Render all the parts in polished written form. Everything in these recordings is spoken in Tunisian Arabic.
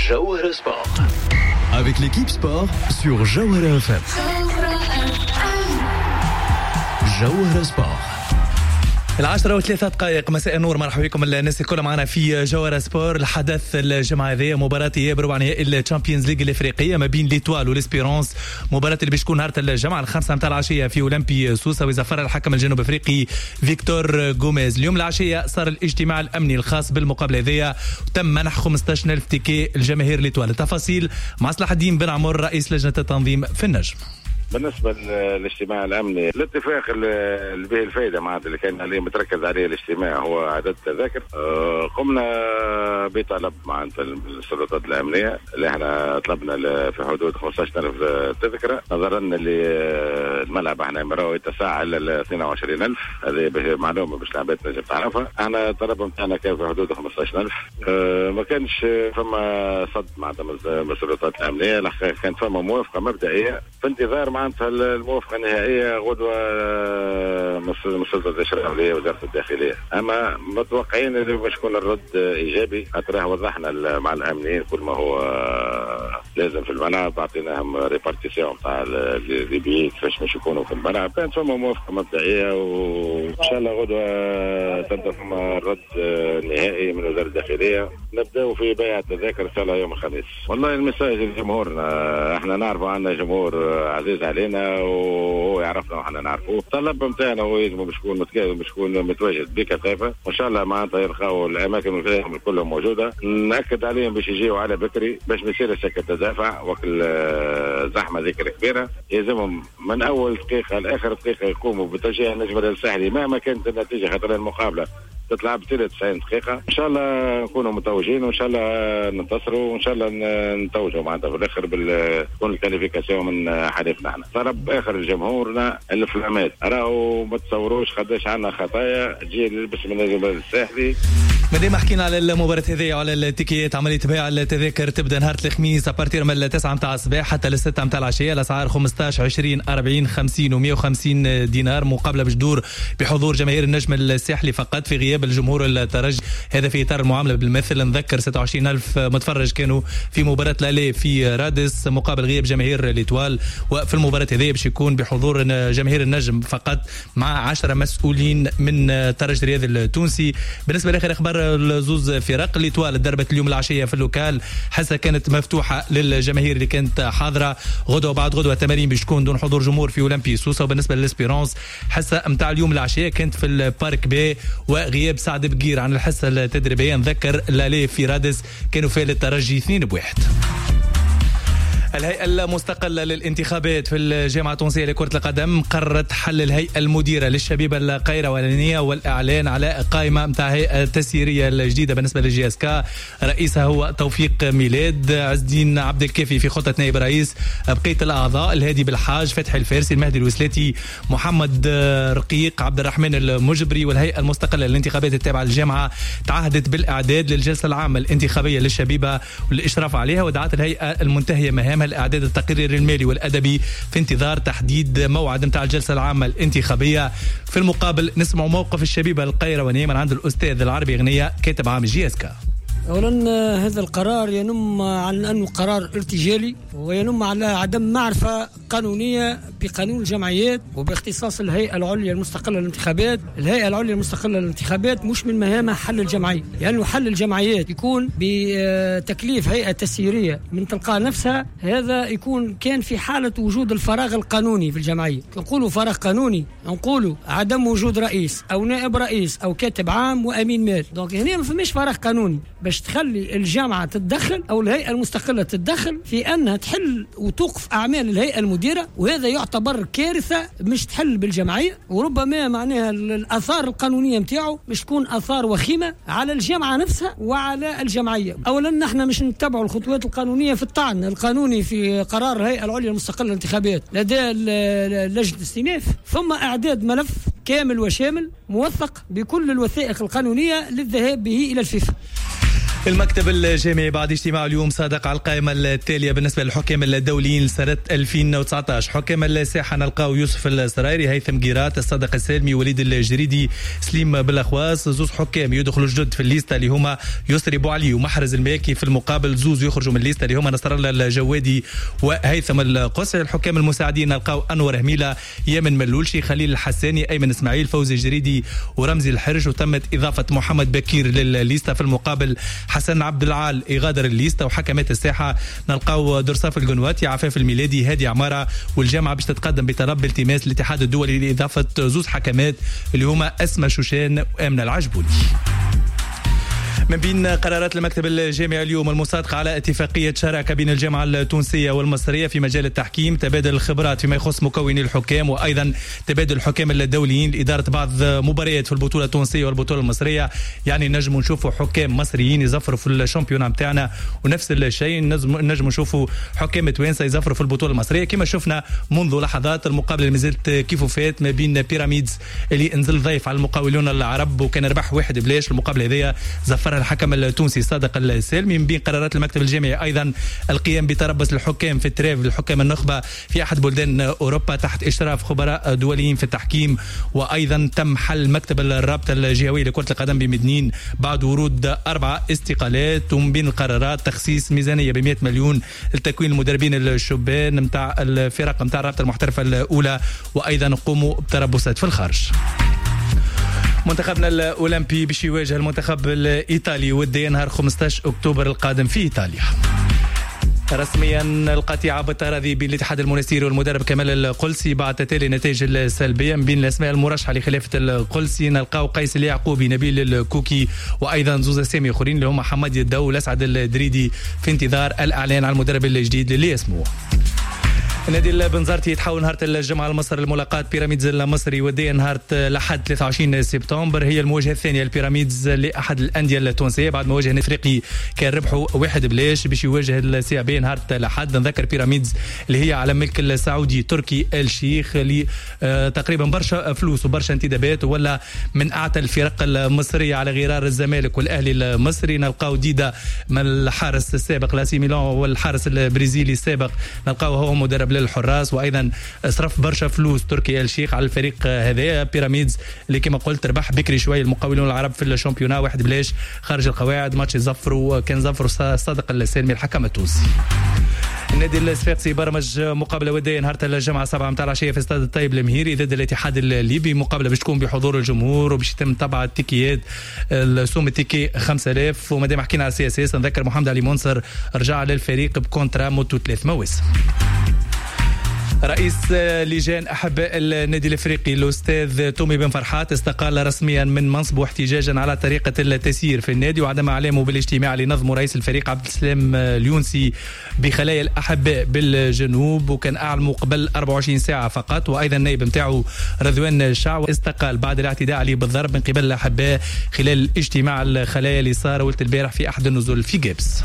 جوهرة Sport avec l'équipe sport sur جوهرة FM. جوهرة Sport. 10:03، مساء النور، مرحبا بكم الناس الكل معنا في جوهرة Sport. الحدث الجمعة هذه مباراة اياب ربع نهائي ال Champions League الافريقية ما بين l'Étoile و l'Espérance، مباراة اللي باش تكون نهار الجمعة 5 متاع العشية في اولمبي سوسة، ويزفر الحكم الجنوب افريقي فيكتور غوميز. اليوم العشية صار الاجتماع الامني الخاص بالمقابلة هذه، وتم منح 15000 ticket الجماهير l'Étoile. التفاصيل مع صلاح الدين بن عمر رئيس لجنة التنظيم في النجم. بالنسبة للاجتماع الأمني، الاتفاق اللي به الفائدة معناتها اللي كان عليه متركز عليه الاجتماع هو عدد التذاكر. قمنا بطلب معناتها السلطات الأمنية اللي احنا طلبنا في حدود 15000 تذكرة، نظرا اللي الملعب احنا مراو يتسع ل 22000. هذه معلومة باش العباد تنجم تعرفها. احنا الطلب نتاعنا كان في حدود 15000. ما كانش فما صد معناتها من السلطات الأمنية، كانت فما موافقة مبدئية في انتظار معناتها الموافقة النهائية غدوه من السلطة التشريعية وزارة الداخلية. اما متوقعين اللي باش يكون الرد ايجابي، خاطر وضحنا مع الامنيين كل ما هو لازم في الملعب، اعطيناهم répartition تاع les billets كيفاش باش يكونوا في الملعب. كانت فما موافقة مبدئية، وان شاء الله غدوه تبدا فما الرد النهائي من وزارة الداخلية. نبداو في بيع التذاكر ان شاء الله يوم الخميس. والله ال message لجمهورنا، احنا نعرفوا عندنا جمهور عزيز علينا وهو يعرفنا وحنا نعرفوه. الطلب نتاعنا هو يلزم باش يكون متواجد بكثافة، وان شاء الله معناتها يلقاو الاماكن نتاعهم كلهم موجودة. ناكد عليهم باش يجيو على بكري باش ما يصيرش هكا تدافع وكل زحمة ذكر كبيرة. يلزمهم من اول دقيقة لاخر دقيقة يقوموا بتشجيع النجم الساحلي مهما كانت النتيجة، خاطر المقابلة تتلعب 90 دقيقة. إن شاء الله نكونوا متوجين، وإن شاء الله ننتصروا، وإن شاء الله نتوجوا معناتها في الآخر تكون ال qualification من حليفنا احنا. طلب آخر لجمهورنا الفلامات، راهو ما تصوروش قداش عندنا خطايا تجي للبس من النجم الساحلي. مادام حكينا على المباراة هذه وعلى التيكيات، عملية بيع التذاكر تبدا نهار الخميس à partir من 9 متاع الصباح حتى ل 6 متاع العشية. الأسعار 15 20 40 50 و150 دينار. مقابلة باش تدور بحضور جماهير النجم الساحلي فقط في غياب الجمهور الترجي، هذا في إطار المعاملة بالمثل. نذكر 26000 متفرج كانوا في مباراة l'aller في رادس مقابل غياب جماهير l'Étoile، وفي المباراة هذه باش يكون بحضور جماهير النجم فقط مع 10 مسؤولين من الترجي الرياضي التونسي. بالنسبة لآخر أخبار الزوز فرق، l'Étoile ضربت اليوم العشية في ال local، حصة كانت مفتوحة للجماهير اللي كانت حاضرة. غدوة وبعد غدوة تمارين باش تكون دون حضور جمهور في أولمبي سوسة. وبالنسبة لل Espérance حصة متاع اليوم العشية كانت في ال parc B وغياب سعد بقير عن الحصة التدريبية. نذكر l'aller في رادس كانوا في الترجي 2-1. الهيئة المستقلة للانتخابات في الجامعة التونسية لكرة القدم قررت حل الهيئة المديرة للشبيبة القيروانية والإعلان على قائمة متاع هيئة التسييرية الجديدة بالنسبة لل JSK. رئيسها هو توفيق ميلاد، عز الدين عبد الكافي في خطة نائب رئيس، بقية الأعضاء الهادي بالحاج، فتحي الفارسي، المهدي الوسلاتي، محمد رقيق، عبد الرحمن المجبري. والهيئة المستقلة للانتخابات التابعة للجامعة تعهدت بالإعداد للجلسة العامة الانتخابية للشبيبة والإشراف عليها، ودعت الهيئة المنتهية مهامها الإعداد التقرير المالي والأدبي في انتظار تحديد موعد متاع الجلسة العامة الانتخابية. في المقابل نسمع موقف الشبيبة القيروانية من عند الأستاذ العربي غنية كاتب عام JSK. أولا هذا القرار ينم عن أنه قرار ارتجالي، وينم على عدم معرفة قانونية بقانون الجمعيات وباختصاص الهيئة العليا المستقلة للانتخابات. الهيئة العليا المستقلة للانتخابات مش من مهامها حل الجمعية، لأنه يعني حل الجمعيات يكون بتكليف هيئة تسييرية من تلقاء نفسها. هذا يكون كان في حالة وجود الفراغ القانوني في الجمعية. نقولوا فراغ قانوني نقولوا عدم وجود رئيس أو نائب رئيس أو كاتب عام وأمين مال. donc هنا ما فماش فراغ قانوني باش تخلي الجامعة تتدخل أو الهيئة المستقلة تتدخل في أنها تحل وتوقف أعمال الهيئة المديرة، وهذا يعتبر كارثة مش تحل بالجمعية، وربما معناها الآثار القانونية متاعه مش تكون آثار وخيمة على الجامعة نفسها وعلى الجمعية. أولا نحن مش نتبع الخطوات القانونية في الطعن القانوني في قرار الهيئة العليا المستقلة للانتخابات لدى لجنة الاستئناف، ثم إعداد ملف كامل وشامل موثق بكل الوثائق القانونية للذهاب به إلى الفيفا. المكتب الجامعي بعد اجتماع اليوم صادق على القائمة التالية بالنسبة للحكام الدوليين لسنة 2019. حكام الساحة نلقاو يوسف السرايري، هيثم جيرات، الصادق السالمي، وليد الجريدي، سليم بالاخواس. زوز حكام يدخلوا جدد في الليستة اللي هما يسري بوعلي ومحرز الماكي، في المقابل زوز يخرجوا من الليستة اللي هما نصر الله الجوادي وهيثم القصري. الحكام المساعدين نلقاو أنور هميلة، يمن ملولشي، خليل الحساني، أيمن إسماعيل، فوزي الجريدي ورمزي الحرج. وتمت إضافة محمد بكير للليستة، في المقابل حسن عبد العال يغادر الليستة. وحكمات الساحة نلقاو درصاف القنواتي، عفاف الميلادي، هادي عمارة. والجامعة باش تتقدم بطلب بالتماس الاتحاد الدولي لإضافة زوز حكمات اللي هما أسمى شوشان وآمنة العجبوني. من بين قرارات المكتب الجامعي اليوم المصادقة على اتفاقية شراكة بين الجامعة التونسية والمصرية في مجال التحكيم، تبادل الخبرات فيما يخص مكوني الحكام، وأيضا تبادل الحكام الدوليين لإدارة بعض مباريات في البطولة التونسية والبطولة المصرية. يعني نجم نشوفوا حكام مصريين يزفروا في ال championnat نتاعنا، ونفس الشيء نجم نشوفوا حكام توانسة يزفروا في البطولة المصرية، كما شفنا منذ لحظات المقابلة اللي مازالت كيف فات ما بين بيراميدز اللي نزل ضيف على المقاولون العرب وكان ربح 1-0. المقابلة هذيا زفرها الحكم التونسي صادق السالمي. من بين قرارات المكتب الجامعي أيضا القيام بتربص الحكام في ال trêve الحكام النخبة في أحد بلدان أوروبا تحت إشراف خبراء دوليين في التحكيم. وأيضا تم حل مكتب الرابطة الجهوية لكرة القدم بمدنين بعد ورود 4 استقالات. ومن بين القرارات تخصيص ميزانية ب100 مليون لتكوين المدربين الشبان متاع الفرق متاع الرابطة المحترفة الأولى، وأيضا قوموا بتربصات في الخارج. منتخبنا الأولمبي باش يواجه المنتخب الإيطالي وديا نهار 15 أكتوبر القادم في إيطاليا. رسميا القطيعة بالتراضي بين الاتحاد المنستيري والمدرب كمال القلسي بعد تتالي النتائج السلبية. من بين الأسماء المرشحة لخلافة القلسي نلقاو قيس اليعقوبي، نبيل الكوكي، وأيضا زوز أسامي آخرين اللي هما حمادي الدو والأسعد الدريدي، في انتظار الإعلان على المدرب الجديد اللي اسمه. النادي البنزرتي يتحول نهار الجمعة لمصر لملاقاة بيراميدز المصري وديا نهار الأحد 23 سبتمبر. هي المواجهة الثانية للبيراميدز لأحد الأندية التونسية بعد ما واجه الافريقي كان ربحوا 1-0 باش يواجه ال CAB نهار الأحد. نذكر بيراميدز اللي هي على ملك السعودي تركي الشيخ اللي تقريبا برشا فلوس وبرشا انتدابات، ولا من أعتى الفرق المصرية على غرار الزمالك والأهلي المصري. نلقاو ديدا من الحارس السابق لاسي ميلان والحارس البرازيلي السابق نلقاو هو مدرب للحراس، وايضا صرف برشا فلوس تركي الشيخ على الفريق هذا بيراميدز اللي كما قلت ربح بكري شوي المقاولون العرب في ال championnat 1-0 خارج القواعد. ماتش زفروا كان زفروا صادق السالمي الحكم التونسي. النادي الصفاقسي برمج مقابله وديه نهار الجمعة 7 متاع العشية في استاد الطيب المهيري ضد الاتحاد الليبي، مقابله باش تكون بحضور الجمهور وباش يتم طبع التيكيات، السوم ال ticket 5000. ومادام حكينا على ال CSS نذكر محمد علي منصر رجع للفريق ب contrat مدته 3 مواسم. رئيس لجان أحباء النادي الافريقي الأستاذ تومي بن فرحات استقال رسميا من منصبه احتجاجا على طريقة التسيير في النادي وعدم إعلامه بالاجتماع اللي نظمه رئيس الفريق عبد السلام اليونسي بخلايا الأحباء بالجنوب، وكان أعلمه قبل 24 ساعة فقط. وأيضا النائب نتاعو رضوان الشعو استقال بعد الاعتداء عليه بالضرب من قبل الأحباء خلال اجتماع الخلايا اللي صار ولت البارح في أحد النزل في جابس.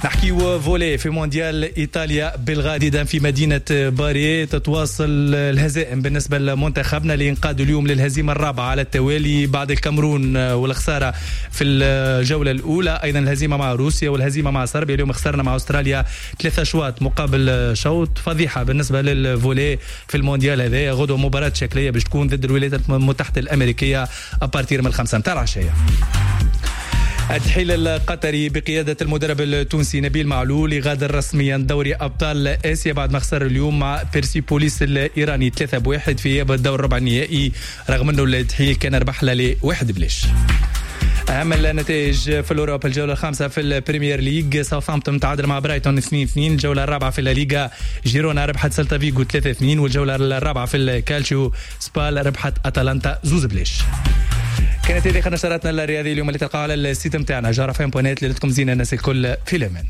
نحكيو volley في مونديال إيطاليا بالغادي في مدينة باري. تتواصل الهزائم بالنسبة لمنتخبنا اللي ينقاد اليوم للهزيمة الرابعة على التوالي بعد الكاميرون والخسارة في الجولة الأولى، أيضا الهزيمة مع روسيا والهزيمة مع صربيا. اليوم خسرنا مع أستراليا 3 أشواط مقابل شوط. فضيحة بالنسبة لل volley في المونديال هذا. غدوة مباراة شكلية باش تكون ضد الولايات المتحدة الأمريكية à partir من 5 متاع العشية. الدحيل القطري بقيادة المدرب التونسي نبيل معلول يغادر رسميا دوري أبطال آسيا بعد ما خسر اليوم مع بيرسيبوليس الإيراني 3-1 في إياب الدور الربع النهائي، رغم أنه الدحيل كان ربح له 1-0. أهم النتائج في الأوروبا، الجولة الخامسة في البريمير ليج ساوثهامبتون تعادل مع برايتون 2-2، الجولة الرابعة في الليغا جيرونا ربحت سلتا فيغو 3-2، والجولة الرابعة في الكالتشيو سبال ربحت أتلانتا 2-0. كانت هذه نشراتنا الرياضية اليوم اللي تلقاها على ال site نتاعنا جوهرة FM point net. ليلتكم زينة الناس الكل في الأمان.